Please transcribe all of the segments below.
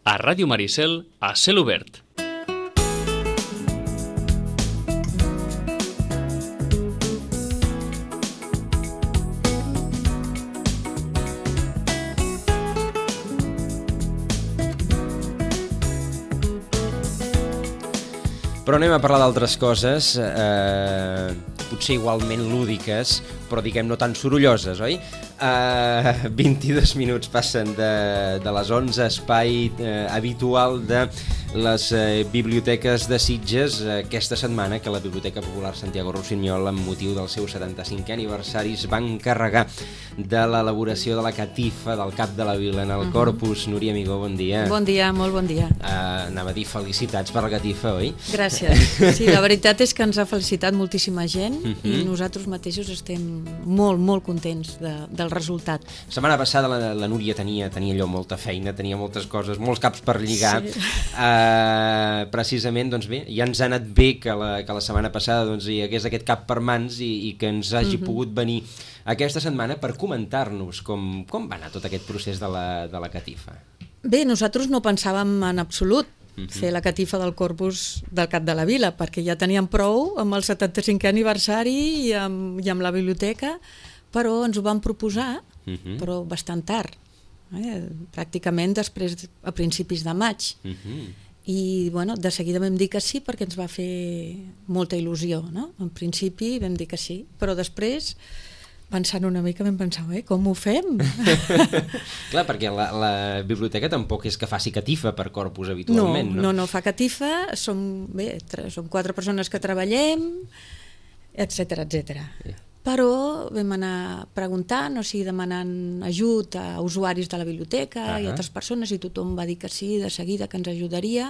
A Ràdio Maricel, a cel obert. Però anem a parlar d'altres coses, potser igualment lúdiques, però diguem no tan sorolloses, oi? 22 minuts passen de les 11, espai habitual de les biblioteques de Sitges aquesta setmana, que la Biblioteca Popular Santiago Rossinyol, amb motiu del seu 75è aniversari, es va encarregar de l'elaboració de la catifa del cap de la vila en el Corpus. Núria Amigó, bon dia. Bon dia, molt bon dia. Anava a dir felicitats per la catifa, oi? Gràcies. Sí, la veritat és que ens ha felicitat moltíssima gent i nosaltres mateixos estem molt, molt contents del resultat. La setmana passada la Núria tenia allò molta feina, tenia moltes coses, molts caps per lligar. Sí. Precisament, doncs bé, ja ens ha anat bé que la setmana passada doncs, hi hagués aquest cap per mans i que ens hagi pogut venir aquesta setmana per comentar-nos com va anar tot aquest procés de la catifa. Bé, nosaltres no pensàvem en absolut fer la catifa del Corpus del cap de la vila, perquè ja teníem prou amb el 75è aniversari i amb la biblioteca, però ens ho vam proposar, però bastant tard, pràcticament després, a principis de maig. I bueno, de seguida vam dir que sí perquè ens va fer molta il·lusió, no? En principi vam dir que sí, però després, pensant una mica, vam pensar, com ho fem? Clar, perquè la biblioteca tampoc és que faci catifa per Corpus habitualment, no? No fa catifa, som 4 persones que treballem, etcètera. Però vam anar preguntant, o sigui, demanant ajut a usuaris de la biblioteca i a altres persones, i tothom va dir que sí, de seguida, que ens ajudaria.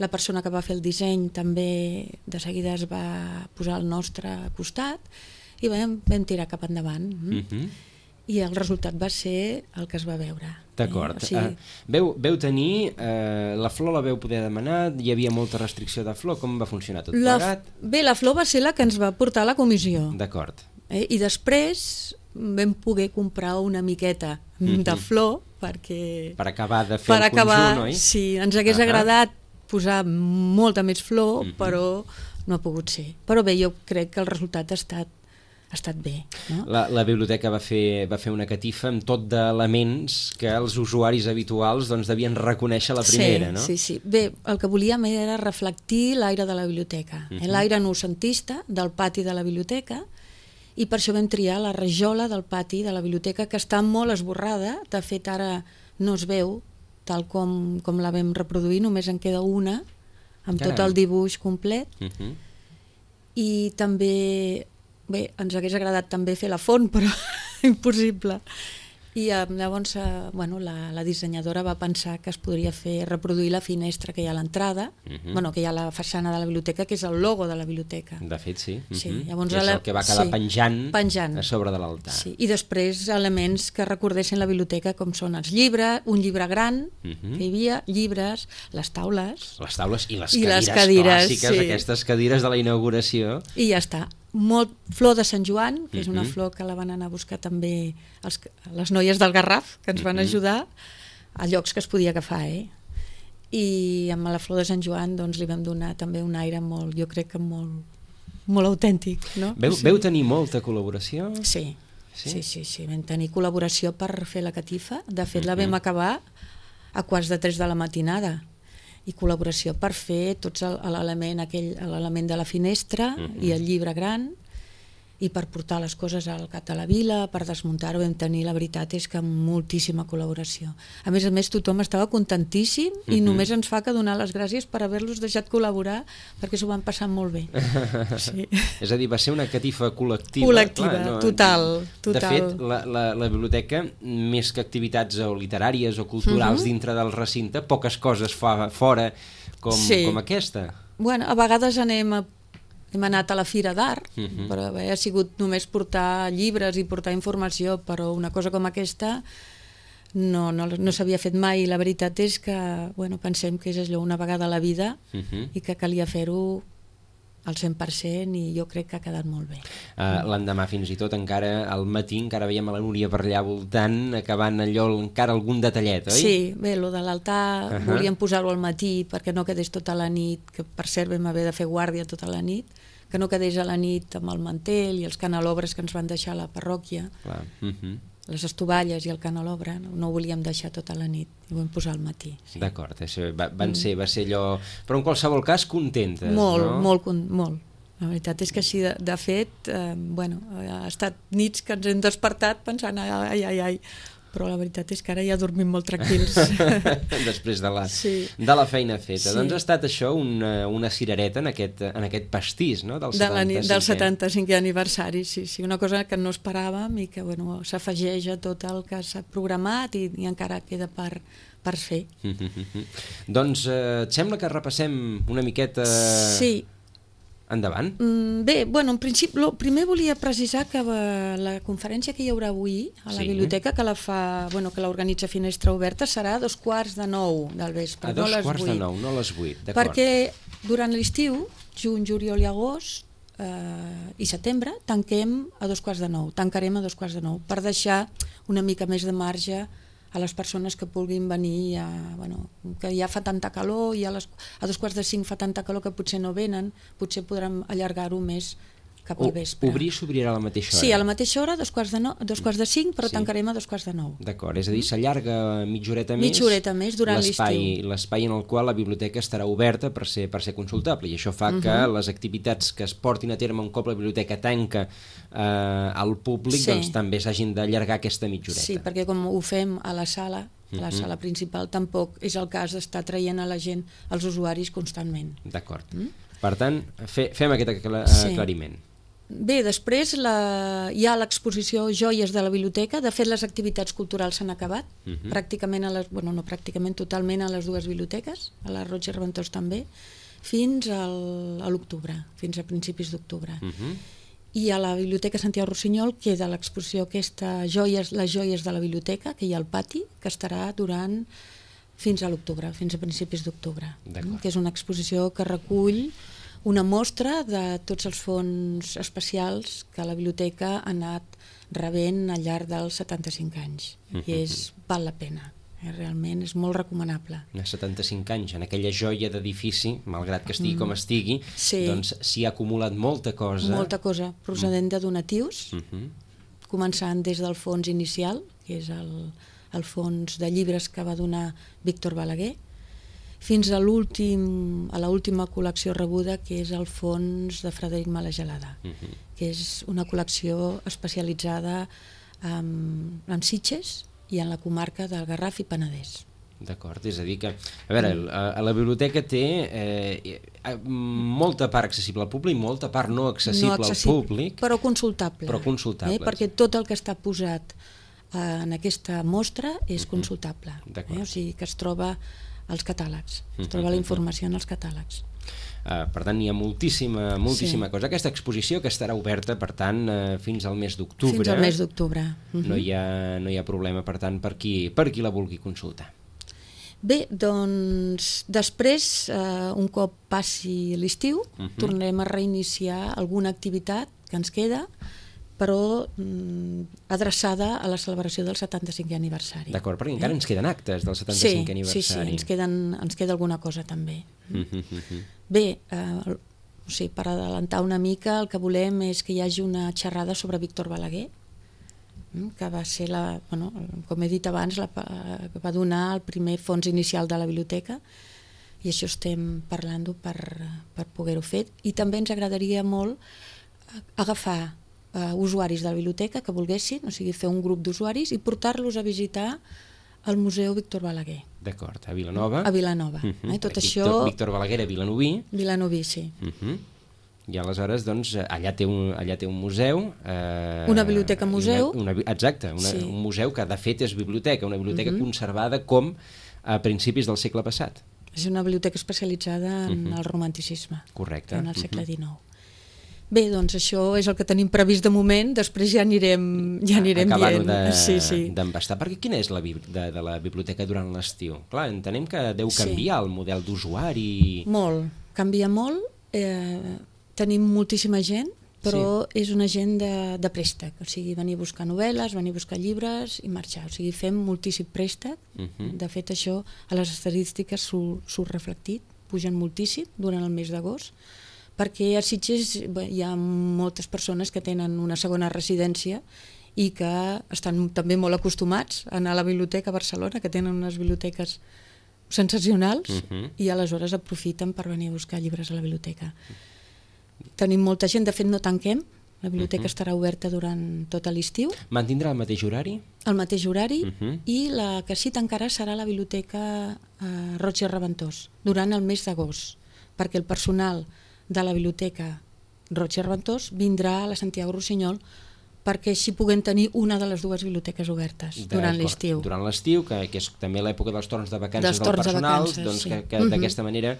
La persona que va fer el disseny també de seguida es va posar al nostre costat i vam tirar cap endavant. I el resultat va ser el que es va veure. D'acord. Veu tenir, la flor la veu poder demanar, hi havia molta restricció de flor, com va funcionar tot plegat? Bé, la flor va ser la que ens va portar a la comissió. D'acord. I després vam poder comprar una miqueta de flor perquè... Per acabar de fer el conjunt, oi? Sí, ens hagués agradat posar molta més flor, però no ha pogut ser. Però bé, jo crec que el resultat ha estat bé. No? La biblioteca va fer una catifa amb tot d'elements que els usuaris habituals doncs, devien reconèixer la primera, no? Sí. Bé, el que volíem era reflectir l'aire de la biblioteca, l'aire noucentista del pati de la biblioteca, i per això vam triar la rajola del pati de la biblioteca, que està molt esborrada. De fet, ara no es veu tal com la vam reproduir, només en queda una, amb tot el dibuix complet. I també, bé, ens hagués agradat també fer la font, però impossible. I llavors la dissenyadora va pensar que es podria reproduir la finestra que hi ha a l'entrada, que hi ha a la façana de la biblioteca, que és el logo de la biblioteca. De fet, sí. Llavors, és el que va quedar penjant a sobre de l'altar. Sí. I després elements que recordessin la biblioteca, com són els llibres, un llibre gran, que hi havia, llibres, les taules... Les taules i les cadires clàssiques, aquestes cadires de la inauguració. I ja està. Flor de Sant Joan, que és una flor que la van anar a buscar també les noies del Garraf, que ens van ajudar a llocs que es podia agafar, I amb la flor de Sant Joan doncs, li vam donar també un aire molt, jo crec que molt autèntic, no? Veu tenir molta col·laboració? Sí, vam tenir col·laboració per fer la catifa. De fet, la vam acabar a 2:45 de la matinada, i col·laboració per fer tots l'element de la finestra i el llibre gran, i per portar les coses al cap de la vila, per desmuntar-ho. Vam tenir, la veritat és que moltíssima col·laboració. A més, tothom estava contentíssim i només ens fa que donar les gràcies per haver-los deixat col·laborar, perquè s'ho van passar molt bé. Sí. És a dir, va ser una catifa col·lectiva. Col·lectiva, total. De fet, la biblioteca, més que activitats literàries o culturals dintre del recinte, poques coses fa fora com aquesta. Bueno, a vegades hem anat a la Fira d'Art, però ha sigut només portar llibres i portar informació, però una cosa com aquesta no s'havia fet mai. La veritat és que pensem que és allò una vegada a la vida i que calia fer-ho al 100% i jo crec que ha quedat molt bé. L'endemà fins i tot encara al matí encara veiem a la Núria per allà voltant, acabant allò encara algun detallet, oi? Sí, bé, lo de l'altar volíem posar-ho al matí perquè no quedés tota la nit, que per cert vam haver de fer guàrdia tota la nit, que no quedés a la nit amb el mantel i els canelobres que ens van deixar a la parròquia. Clar. Les estovalles i el canelobre, no ho volíem deixar tota la nit, ho vam posar al matí. Sí. D'acord, va ser allò... Però en qualsevol cas contentes, molt, no? Molt. La veritat és que així, de fet, ha estat nits que ens hem despertat pensant ai, però la veritat és que ara ja dormim molt tranquils. Després de la feina feta. Sí. Doncs ha estat això una cirereta en aquest pastís, no? Del 75è aniversari, sí, una cosa que no esperàvem i que s'afegeix a tot el que s'ha programat i encara queda per fer. Doncs et sembla que repassem una miqueta... Sí. Endavant. Bé, en principi, primer volia precisar que la conferència que hi haurà avui a la biblioteca, que que l'organitza Finestra Oberta, serà a 8:45 del vespre, a 8:45, no a les 8, d'acord. Perquè durant l'estiu, juny, juliol i agost i setembre, tanquem a 8:45, tancarem a 8:45, per deixar una mica més de marge a les persones que vulguin venir, que ja fa tanta calor, i a 4:45 fa tanta calor que potser no venen, potser podrem allargar-ho més cap al vespre. Obrir s'obrirà a la mateixa hora? Sí, a la mateixa hora, 4:45, però tancarem a 8:45. D'acord, és a dir, s'allarga mitja horeta més durant l'estiu. L'espai en el qual la biblioteca estarà oberta per ser consultable, i això fa que les activitats que es portin a terme un cop la biblioteca tanca al públic doncs també s'hagin d'allargar aquesta mitja horeta. Sí, perquè com ho fem a la sala, la sala principal, tampoc és el cas d'estar traient a la gent, als usuaris, constantment. D'acord. Per tant, fem aquest aclariment. Bé, després hi ha l'exposició Joies de la Biblioteca. De fet, les activitats culturals s'han acabat, pràcticament totalment a les dues biblioteques, a la Roig i Reventós també, fins a l'octubre, fins a principis d'octubre. I a la Biblioteca Santiago Rossinyol queda l'exposició aquesta, les joies de la biblioteca, que hi ha al pati, que estarà durant fins a l'octubre, fins a principis d'octubre, que és una exposició que recull una mostra de tots els fons especials que la biblioteca ha anat rebent al llarg dels 75 anys, i val la pena. Realment és molt recomanable. 75 anys, en aquella joia d'edifici, malgrat que estigui com estigui, doncs s'hi ha acumulat molta cosa. Molta cosa, procedent de donatius, començant des del fons inicial, que és el fons de llibres que va donar Víctor Balaguer, fins a l'última col·lecció rebuda, que és el fons de Frederic Malagelada, que és una col·lecció especialitzada en Sitges i en la comarca del Garraf i Penedès. D'acord, és a dir que, a veure, la biblioteca té molta part accessible al públic, molta part no accessible al públic, però consultable. Perquè tot el que està posat en aquesta mostra és consultable, o sigui que es troba als catàlegs, es troba la informació en els catàlegs. Per tant, hi ha moltíssima cosa. Aquesta exposició que estarà oberta, per tant, fins al mes d'octubre. Fins al mes d'octubre. No hi ha problema, per tant, per qui la vulgui consultar. Bé, doncs, després, un cop passi l'estiu, tornarem a reiniciar alguna activitat que ens queda, però adreçada a la celebració del 75è aniversari. D'acord, perquè encara ens queden actes del 75è aniversari. Sí, ens queda alguna cosa també. Bé, per adelantar una mica, el que volem és que hi hagi una xerrada sobre Víctor Balaguer, que va ser, com he dit abans, que va donar el primer fons inicial de la biblioteca, i això estem parlant-ho per poder-ho fer. I també ens agradaria molt agafar usuaris de la biblioteca que volguessin, o sigui, fer un grup d'usuaris i portar-los a visitar el Museu Víctor Balaguer. D'acord, a Vilanova. A Vilanova. Tot això... Víctor Balaguer a Vilanoví. Vilanoví, sí. I aleshores, doncs, allà té un museu. Una biblioteca museu. Exacte, un museu que de fet és biblioteca, una biblioteca conservada com a principis del segle passat. És una biblioteca especialitzada en el romanticisme. Correcte. En el segle XIX. Bé, doncs això és el que tenim previst de moment, després ja anirem dient. Acabar-ho d'embastar. Perquè quina és la vida de la biblioteca durant l'estiu? Clar, entenem que deu canviar el model d'usuari. Molt, canvia molt. Tenim moltíssima gent, però és una gent de préstec, o sigui, venir a buscar novel·les, venir a buscar llibres i marxar, o sigui, fem moltíssim préstec. De fet, això a les estadístiques surt reflectit, pugen moltíssim durant el mes d'agost, perquè a Sitges hi ha moltes persones que tenen una segona residència i que estan també molt acostumats a anar a la biblioteca a Barcelona, que tenen unes biblioteques sensacionals, i aleshores aprofiten per venir a buscar llibres a la biblioteca. Tenim molta gent, de fet no tanquem, la biblioteca estarà oberta durant tot l'estiu. Mantindrà el mateix horari? El mateix horari, i la que sí tancarà serà la biblioteca Roig i Reventós, durant el mes d'agost, perquè el personal de la biblioteca Roig i Reventós vindrà a la Santiago Rossinyol perquè així puguem tenir una de les dues biblioteques obertes durant l'estiu. Durant l'estiu, que és també l'època dels torns de vacances del personal, doncs que d'aquesta manera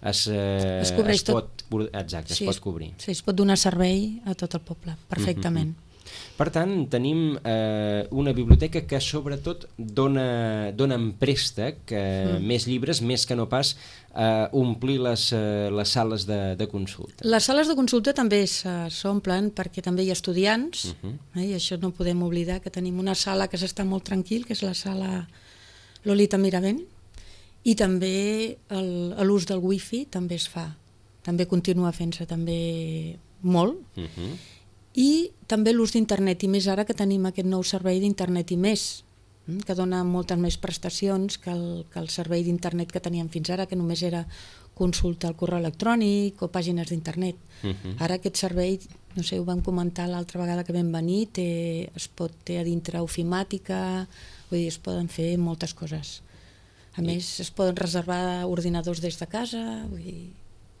es pot cobrir. Sí, es pot donar servei a tot el poble, perfectament. Per tant, tenim una biblioteca que sobretot dona en préstec més llibres, més que no pas omplir les sales de consulta. Les sales de consulta també s'omplen perquè també hi ha estudiants, i això no podem oblidar, que tenim una sala que s'està molt tranquil, que és la sala Lolita Miravent, i també l'ús del wifi també es fa, també continua fent-se també molt, i també l'ús d'internet, i més ara que tenim aquest nou servei d'internet i més, que dona moltes més prestacions que el servei d'internet que teníem fins ara, que només era consulta al correu electrònic o pàgines d'internet. Ara aquest servei, no sé, ho vam comentar l'altra vegada que vam venir, té a dintre ofimàtica, vull dir, es poden fer moltes coses. A més, es poden reservar ordinadors des de casa, vull dir,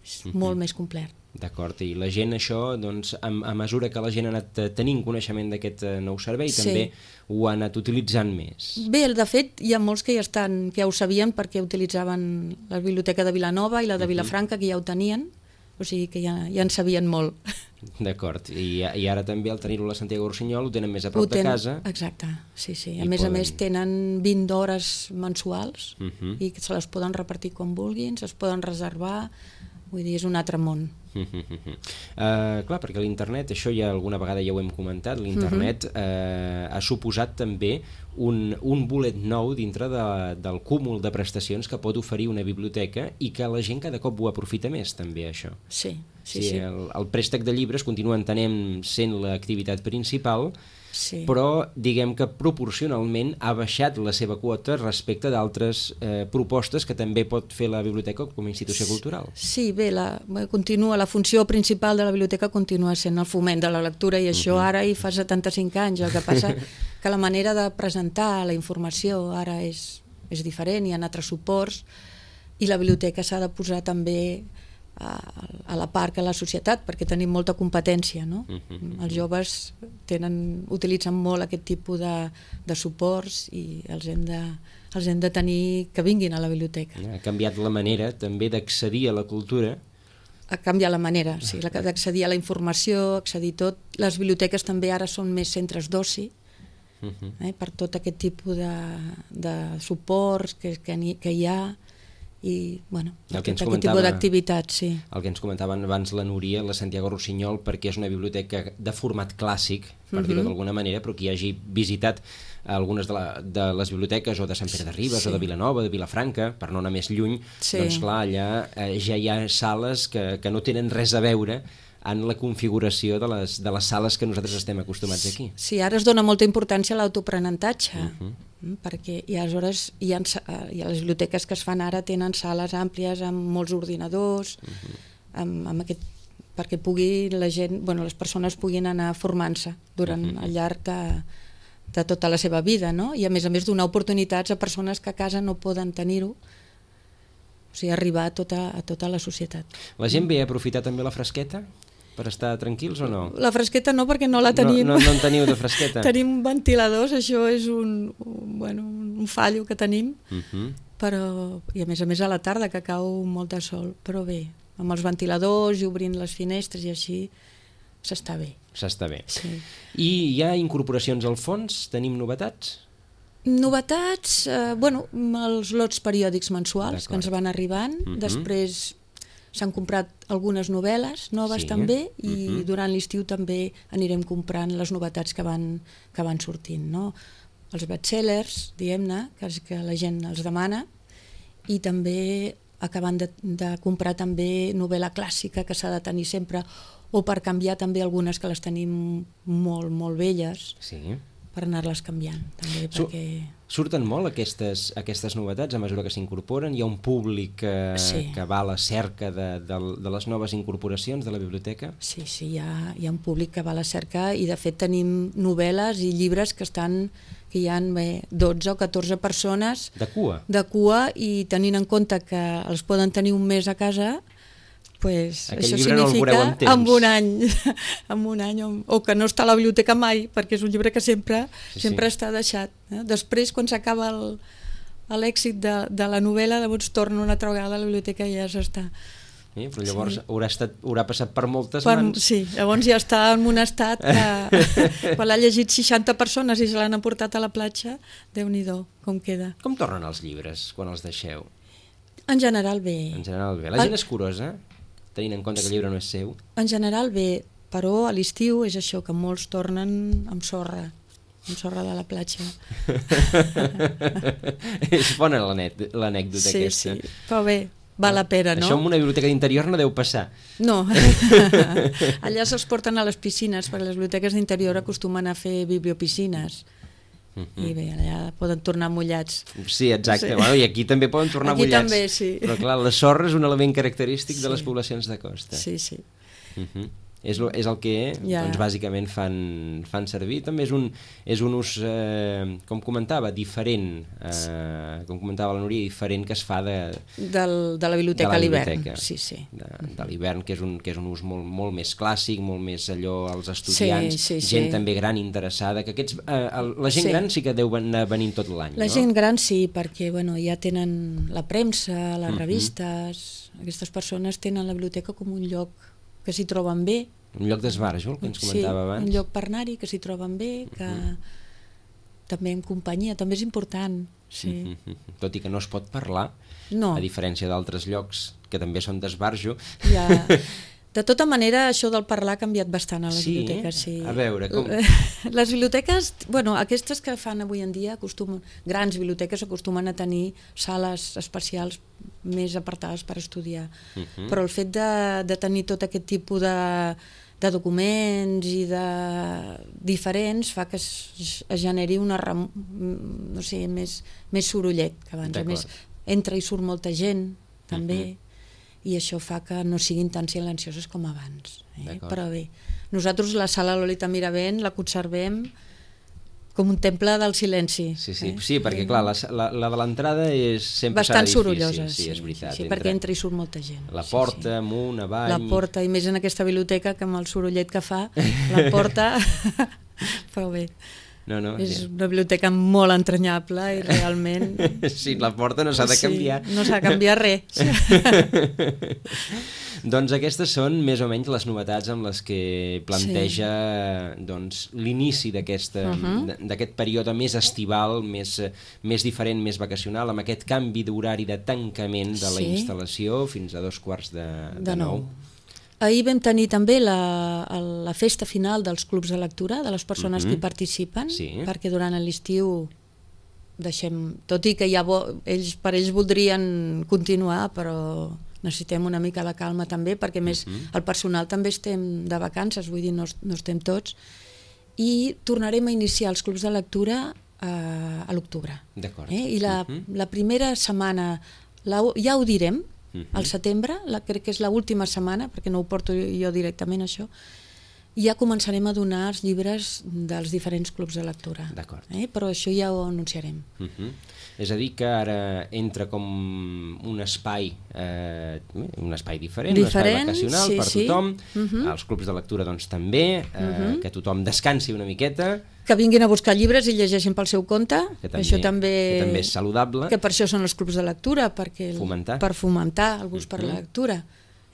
és molt més complet. D'acord, i la gent això, doncs, a mesura que la gent ha anat tenint coneixement d'aquest nou servei, també ho ha anat utilitzant més. Bé, de fet, hi ha molts que ja ho sabien perquè utilitzaven la biblioteca de Vilanova i la de Vilafranca, que ja ho tenien, o sigui que ja en sabien molt. D'acord, i ara també al tenir-ho a la Santiago Rossinyol ho tenen més a prop de casa. Exacte, sí. A més tenen 20 hores mensuals i se les poden repartir com vulguin, es poden reservar, vull dir, és un altre món. Clar, perquè l'internet, això ja alguna vegada ja ho hem comentat, l'internet ha suposat també un bolet nou dintre del cúmul de prestacions que pot oferir una biblioteca i que la gent cada cop ho aprofita més, també, això. Sí. El préstec de llibres continua entenem sent l'activitat principal, però diguem que proporcionalment ha baixat la seva quota respecte d'altres propostes que també pot fer la biblioteca com a institució cultural. Sí, bé, la funció principal de la biblioteca continua sent el foment de la lectura, i això ara hi fa 75 anys, el que passa que la manera de presentar la informació ara és diferent, hi ha altres suports, i la biblioteca s'ha de posar també a la part que la societat, perquè tenim molta competència, no? Els joves utilitzen molt aquest tipus de suports i els hem de tenir que vinguin a la biblioteca. Ha canviat la manera també d'accedir a la cultura. Ha canviat la manera, sí, d'accedir a la informació, accedir tot. Les biblioteques també ara són més centres d'oci, per tot aquest tipus de suports que hi ha, i aquest tipus d'activitats. El que ens comentaven abans la Núria, la Santiago Rossinyol, perquè és una biblioteca de format clàssic, per dir-ho d'alguna manera, però qui hagi visitat algunes de les biblioteques o de Sant Pere de Ribes o de Vilanova, de Vilafranca, per no anar més lluny, doncs clar, allà ja hi ha sales que no tenen res a veure en la configuració de les sales que nosaltres estem acostumats aquí. Sí, ara es dona molta importància a l'autoprenentatge, perquè aleshores les biblioteques que es fan ara tenen sales àmplies amb molts ordinadors, perquè les persones puguin anar formant-se durant al llarg de tota la seva vida, no? I a més donar oportunitats a persones que a casa no poden tenir-ho, o sigui, arribar a tota la societat. La gent ve a aprofitar també la fresqueta per estar tranquils o no? La fresqueta no, perquè no la tenim. No en teniu de fresqueta? Tenim ventiladors, això és un fallo que tenim, però, i a més a la tarda, que cau molt de sol, però bé, amb els ventiladors i obrint les finestres i així, s'està bé. S'està bé. Sí. I hi ha incorporacions al fons? Tenim novetats? Novetats, els lots periòdics mensuals que ens van arribant, després s'han comprat algunes novel·les noves també, i durant l'estiu també anirem comprant les novetats que van sortint, no? Els bestsellers, diguem-ne, que la gent els demana, i també acabant de comprar també novel·la clàssica que s'ha de tenir sempre, o per canviar també algunes que les tenim molt, molt velles, per anar-les canviant també, perquè... Surten molt aquestes novetats a mesura que s'incorporen? Hi ha un públic que va a la cerca de les noves incorporacions de la biblioteca? Sí, hi ha un públic que va a la cerca, i de fet tenim novel·les i llibres que hi ha 12 o 14 persones de cua, i tenint en compte que els poden tenir un mes a casa, pues això significa en un any o que no està a la biblioteca mai, perquè és un llibre que sempre està deixat. Després, quan s'acaba l'èxit de la novel·la, llavors torna una altra vegada a la biblioteca i ja s'està. Però llavors haurà passat per moltes mans. Sí, llavors ja està en un estat que quan l'ha llegit 60 persones i se l'han portat a la platja, Déu-n'hi-do, com queda. Com tornen els llibres quan els deixeu? En general bé. La gent és curosa, tenint en compte que el llibre no és seu? En general bé, però a l'estiu és això, que molts tornen amb sorra de la platja. És bona l'anècdota aquesta. Sí, però bé, val la pena, no? Això en una biblioteca d'interior no deu passar. No, allà se'ls porten a les piscines, perquè les biblioteques d'interior acostumen a fer bibliopiscines. I bé, allà poden tornar mullats. Sí, exacte. Bueno, i aquí també poden tornar mullats. Aquí també, sí. Però clar, la sorra és un element característic de les poblacions de costa. Sí. És el que doncs, bàsicament fan servir. També és un ús, com comentava, diferent, com comentava la Núria, diferent que es fa de la biblioteca a l'hivern. Sí. De l'hivern, que és un ús molt més clàssic, molt més allò als estudiants, gent també gran interessada, que la gent gran sí que deu anar venint tot l'any. La gent gran sí, perquè ja tenen la premsa, les revistes, aquestes persones tenen la biblioteca com un lloc que s'hi troben bé. Un lloc d'esbarjo, el que ens comentava abans. Un lloc per anar-hi, que s'hi troben bé, que també en companyia, també és important. Sí. Tot i que no es pot parlar, a diferència d'altres llocs que també són d'esbarjo. De tota manera, això del parlar ha canviat bastant a les biblioteques. Sí. A veure, com... Les biblioteques, aquestes que fan avui en dia, grans biblioteques acostumen a tenir sales especials més apartades per estudiar. Però el fet de tenir tot aquest tipus de documents i de diferents fa que es generi més sorollet que abans. A més, entra i surt molta gent, també, i això fa que no siguin tan silencioses com abans. Però bé, nosaltres la sala Lolita Miravent la conservem com un temple del silenci. Sí, perquè clar, la de l'entrada sempre serà difícil. Bastant sorollosa, sí, és veritat. Sí, perquè entra i surt molta gent. La porta, amunt, avall... La porta, i més en aquesta biblioteca, que amb el sorollet que fa, la porta... Però bé... és una biblioteca molt entranyable i realment... Sí, la porta no s'ha de canviar. No s'ha de canviar res. Doncs aquestes són més o menys les novetats amb les que planteja l'inici d'aquest període més estival, més diferent, més vacacional, amb aquest canvi d'horari de tancament de la instal·lació fins a 8:45. Ahir vam tenir també la festa final dels clubs de lectura, de les persones que hi participen, perquè durant l'estiu deixem, tot i que per ells voldrien continuar, però necessitem una mica de calma també, perquè més el personal també estem de vacances, vull dir, no estem tots, i tornarem a iniciar els clubs de lectura a l'octubre. D'acord. I la primera setmana, ja ho direm, al setembre, crec que és l'última setmana, perquè no ho porto jo directament això, ja començarem a donar els llibres dels diferents clubs de lectura. D'acord. Però això ja ho anunciarem. És a dir, que ara entra com un espai diferent, un espai vacacional per tothom, els clubs de lectura doncs també, que tothom descansi una miqueta, que vinguin a buscar llibres i llegeixin pel seu compte, això també és saludable, que per això són els clubs de lectura, per fomentar el gust per la lectura,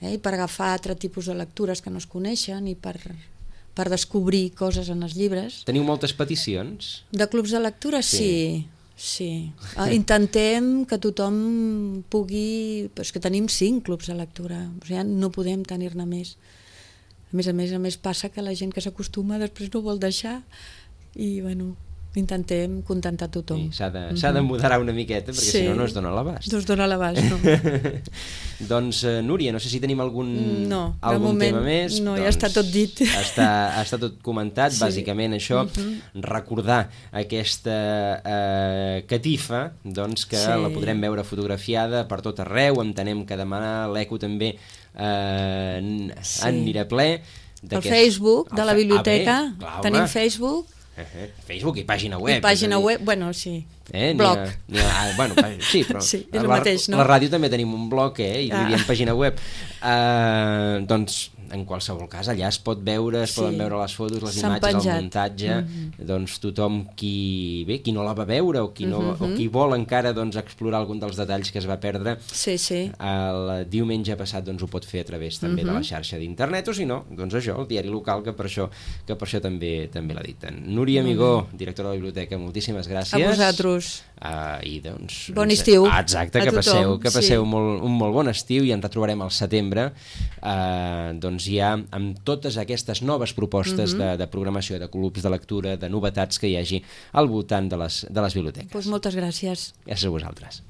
i per agafar altres tipus de lectures que no es coneixen i per descobrir coses en els llibres. Teniu moltes peticions? De clubs de lectura, sí. Sí. Intentem que tothom pugui... Però és que tenim 5 clubs de lectura, o sigui, no podem tenir-ne més. A més passa que la gent que s'acostuma després no vol deixar i, bueno, intentem contentar tothom. Sí, s'ha de moderar una miqueta perquè si no es dona l'abast. No es dona l'abast, no. Doncs, Núria, no sé si tenim algun moment, tema més. No, ja està tot dit. Està tot comentat, bàsicament això, recordar aquesta catifa, doncs que la podrem veure fotografiada per tot arreu, entenem que demà l'Eco també anirà ple. El Facebook de la biblioteca, tenim Facebook. Facebook i pàgina web. I pàgina web, bueno, sí. Blog. Bueno, sí, però sí, és el mateix, no? La ràdio també tenim un blog, i li diem pàgina web. Doncs, en qualsevol cas, allà es pot veure, es poden veure les fotos, les imatges, el muntatge, doncs tothom qui no la va veure o qui vol encara explorar algun dels detalls que es va perdre, el diumenge passat ho pot fer a través també de la xarxa d'internet, o si no, doncs això, el diari local, que per això també l'editen. Núria Amigó, directora de la biblioteca, moltíssimes gràcies. A vosaltres. I doncs... Bon estiu. Exacte, que passeu un molt bon estiu i ens retrobarem al setembre, doncs ja amb totes aquestes noves propostes de programació, de clubs de lectura, de novetats que hi hagi al voltant de les biblioteques. Doncs moltes gràcies. Gràcies a vosaltres.